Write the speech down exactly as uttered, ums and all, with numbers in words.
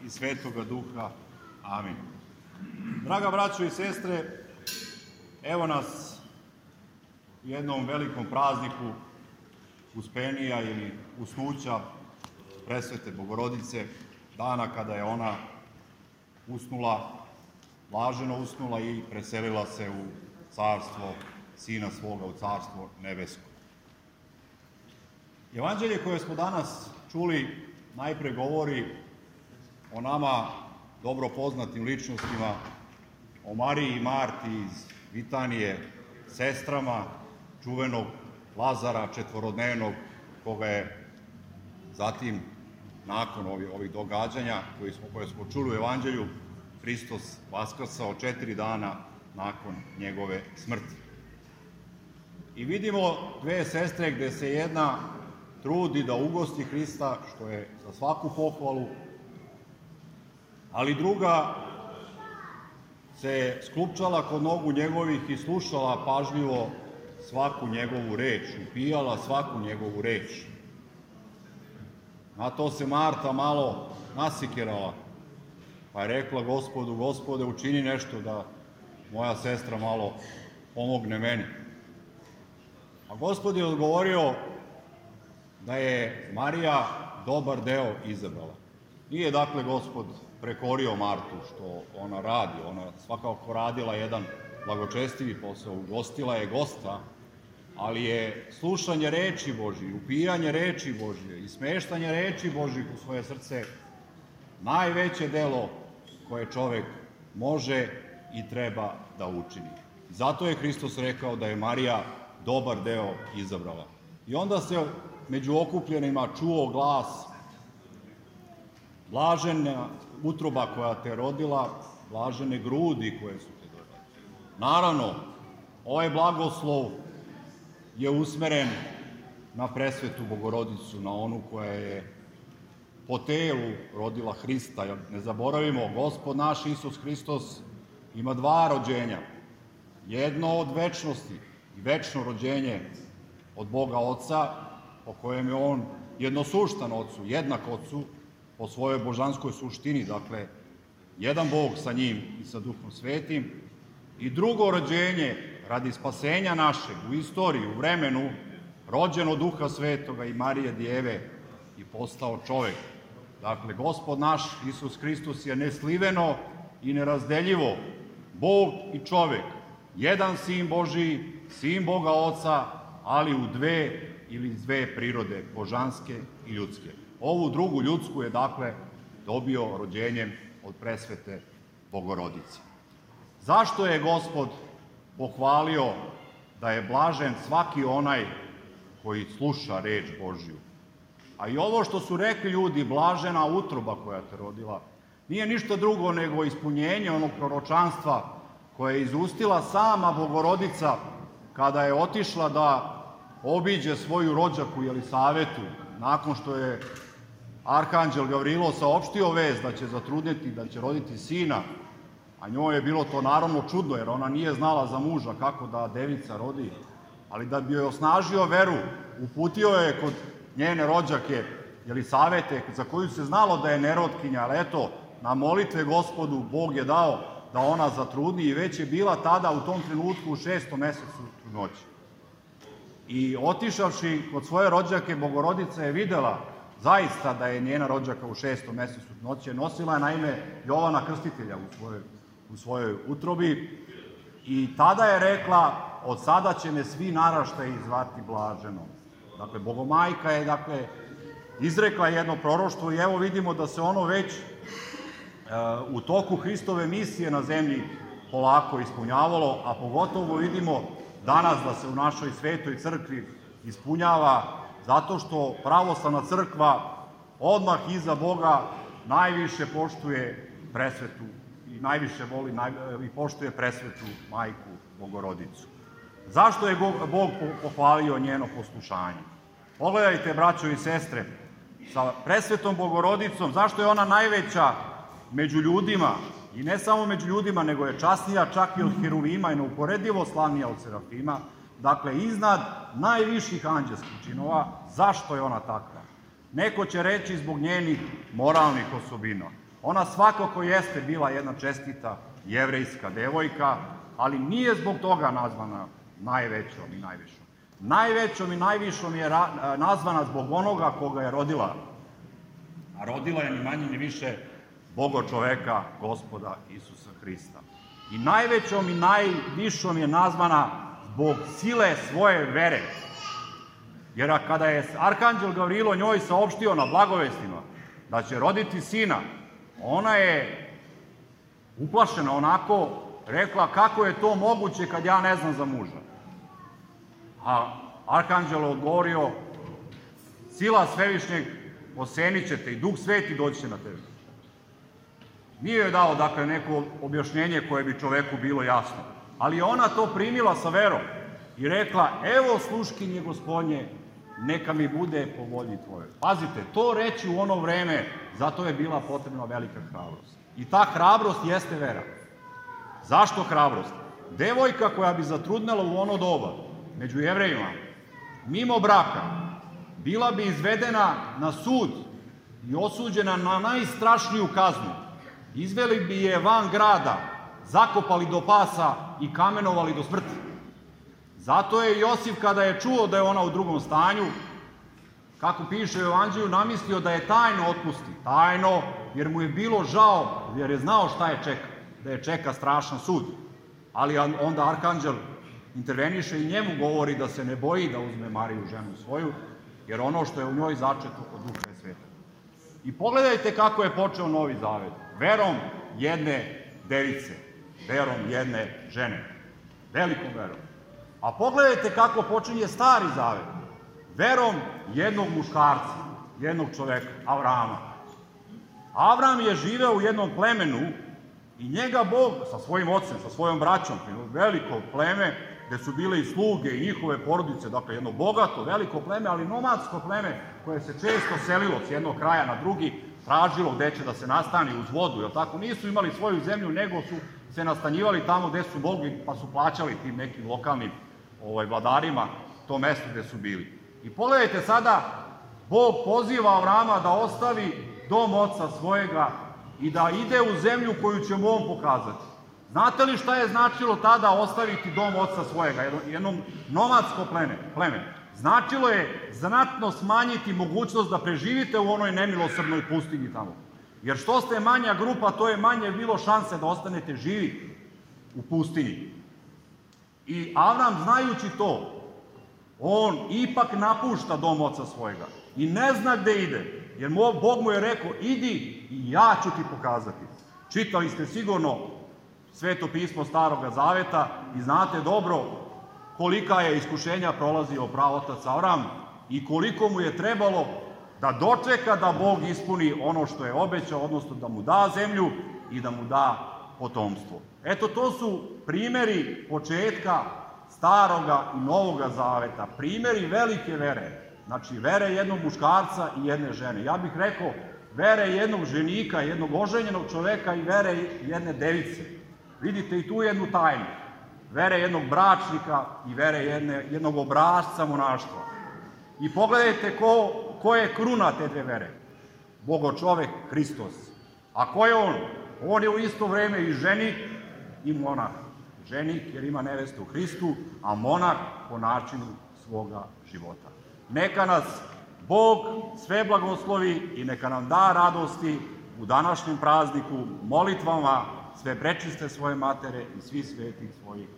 i Svetoga Duha. Amin. Draga braćo i sestre, evo nas u jednom velikom prazniku Uspenija ili usnuća Presvete Bogorodice, dana kada je ona usnula, blaženo usnula i preselila se u carstvo Sina svoga, u carstvo nebesko. Evanđelje koje smo danas čuli najpre govori o nama dobro poznatim ličnostima, o Mariji i Marti iz Vitanije, sestrama čuvenog Lazara četvorodnevnog, koga je zatim, nakon ovih, ovih događanja koje smo, koje smo čuli u Evanđelju, Hristos vaskrsao četiri dana nakon njegove smrti. I vidimo dve sestre gde se jedna trudi da ugosti Hrista, što je za svaku pohvalu, ali druga se sklupčala kod nogu njegovih i slušala pažljivo svaku njegovu reč, upijala svaku njegovu reč. Na to se Marta malo nasikirala, pa je rekla Gospodu: Gospode, učini nešto da moja sestra malo pomogne meni. A Gospod je odgovorio da je Marija dobar deo izabrala. Nije dakle Gospod prekorio Martu što ona radi, ona svakako radila jedan blagočestivi posao, ugostila je gosta, ali je slušanje reči Božije, upijanje reči Božije i smeštanje reči Božih u svoje srce najveće delo koje čovek može i treba da učini. Zato je Hristos rekao da je Marija dobar deo izabrala. I onda se među okupljenima čuo glas: blažena utroba koja te rodila, blažene grudi koje su te dodale. Naravno, ovaj blagoslov je usmeren na Presvetu Bogorodicu, na onu koja je po telu rodila Hrista. Ne zaboravimo, Gospod naš Isus Hristos ima dva rođenja. Jedno od večnosti i večno rođenje od Boga Oca, po kojem je on jednosuštan Otcu, jednak Otcu po svojoj božanskoj suštini, dakle, jedan Bog sa njim i sa Duhom Svetim, i drugo rođenje radi spasenja našeg u istoriji, u vremenu, rođen od Duha Svetoga i Marije Djeve i postao čovek. Dakle, Gospod naš Isus Hristos je nesliveno i nerazdeljivo Bog i čovek, jedan Sin Božiji, Sin Boga Oca, ali u dve ili dve prirode, božanske i ljudske. Ovu drugu ljudsku je, dakle, dobio rođenjem od Presvete Bogorodice. Zašto je Gospod pohvalio da je blažen svaki onaj koji sluša reč Božju? A i ovo što su rekli ljudi, blažena utroba koja te rodila, nije ništa drugo nego ispunjenje onog proročanstva koje je izustila sama Bogorodica kada je otišla da obiđe svoju rođaku Jelisavetu, nakon što je Arhanđel Gavrilo saopštio vest da će zatrudneti, da će roditi sina, a njoj je bilo to naravno čudno, jer ona nije znala za muža kako da devica rodi, ali da bi joj osnažio veru, uputio je kod njene rođake Jelisavete, za koju se znalo da je nerotkinja, ali eto, na molitve Gospodu Bog je dao da ona zatrudni i već je bila tada u tom trenutku u šestom mesecu trudnoće. I otišavši kod svoje rođake, Bogorodica je videla zaista da je njena rođaka u šestom mesecu trudnoće. Nosila je naime Jovana Krstitelja u svojoj, u svojoj utrobi i tada je rekla: od sada će me svi naraštaji zvati blaženom. Dakle, Bogomajka je, dakle, izrekla jedno proroštvo i evo vidimo da se ono već u toku Hristove misije na zemlji polako ispunjavalo, a pogotovo vidimo danas da se u našoj svetoj crkvi ispunjava, zato što pravoslavna crkva odmah iza Boga najviše poštuje Presvetu i najviše voli i poštuje Presvetu Majku Bogorodicu. Zašto je Bog pohvalio njeno poslušanje? Pogledajte, braćo i sestre, sa Presvetom Bogorodicom, zašto je ona najveća među ljudima, i ne samo među ljudima, nego je časnija čak i od Heruvima i neuporedivo slavnija od Serafima, dakle, iznad najviših anđelskih činova. Zašto je ona takva? Neko će reći zbog njenih moralnih osobina. Ona svakako jeste bila jedna čestita jevrejska devojka, ali nije zbog toga nazvana najvećom i najvišom. Najvećom i najvišom je nazvana zbog onoga koga je rodila. A rodila je ni manje ni više Boga čoveka, Gospoda Isusa Hrista. I najvećom i najvišom je nazvana zbog sile svoje vere. Jer kada je arhanđel Gavrilo njoj saopštio na blagovestima da će roditi sina, ona je uplašena onako rekla kako je to moguće kad ja ne znam za muža. A arhanđel je odgovorio, sila svevišnjeg osenit će te i Duh Sveti doći će na tebe. Nije joj dao, dakle, neko objašnjenje koje bi čoveku bilo jasno. Ali je ona to primila sa verom i rekla, evo sluškinje Gospodnje, neka mi bude po volji tvojoj. Pazite, to reći u ono vreme, zato je bila potrebna velika hrabrost. I ta hrabrost jeste vera. Zašto hrabrost? Devojka koja bi zatrudnela u ono doba, među Jevrejima, mimo braka, bila bi izvedena na sud i osuđena na najstrašniju kaznu. Izveli bi je van grada, zakopali do pasa i kamenovali do smrti. Zato je Josif, kada je čuo da je ona u drugom stanju, kako piše u Evanđelju, namislio da je tajno otpusti. Tajno, jer mu je bilo žao, jer je znao šta je čeka, da je čeka strašan sud. Ali onda arhanđel interveniše i njemu govori da se ne boji da uzme Mariju, ženu svoju, jer ono što je u njoj začeto od Duha je sveta. I pogledajte kako je počeo Novi Zavet. Verom jedne device, verom jedne žene, velikom verom. A pogledajte kako počinje Stari Zavet. Verom jednog muškarca, jednog čoveka, Avrama. Avram je živeo u jednom plemenu i njega Bog sa svojim ocem, sa svojom braćom, veliko pleme, gde su bile i sluge i njihove porodice, dakle jedno bogato, veliko pleme, ali nomadsko pleme koje se često selilo s jednog kraja na drugi, tražilo gde će da se nastani uz vodu, jer tako nisu imali svoju zemlju, nego su se nastanjivali tamo gde su mogli, pa su plaćali tim nekim lokalnim vladarima to mesto gde su bili. I pogledajte sada, Bog poziva Avrama da ostavi dom oca svojega i da ide u zemlju koju će mu on pokazati. Znate li šta je značilo tada ostaviti dom oca svojega, jednom nomadsko pleme? Značilo je znatno smanjiti mogućnost da preživite u onoj nemilosrdnoj pustinji tamo. Jer što ste manja grupa, to je manje bilo šanse da ostanete živi u pustinji. I Avram, znajući to, on ipak napušta dom oca svojega i ne zna gde ide, jer Bog mu je rekao, idi i ja ću ti pokazati. Čitali ste sigurno Sveto pismo Staroga Zaveta i znate dobro kolika je iskušenja prolazio praotac Avram i koliko mu je trebalo da dočeka da Bog ispuni ono što je obećao, odnosno da mu da zemlju i da mu da potomstvo. Eto, to su primeri početka Staroga i Novoga Zaveta, primeri velike vere, znači vere jednog muškarca i jedne žene. Ja bih rekao vere jednog ženika, jednog oženjenog čoveka i vere jedne device. Vidite i tu jednu tajnu. Vere jednog bračnika i vere jednog obrazca monaštva. I pogledajte ko je kruna te dve vere. Bogo čovek, Hristos. A ko je on? On je u isto vreme i ženik i monah. Ženik jer ima nevestu u Hristu, a monah po načinu svoga života. Neka nas Bog sve blagoslovi i neka nam da radosti u današnjem prazniku molitvama sve prečiste svoje matere i svi svetih svojih.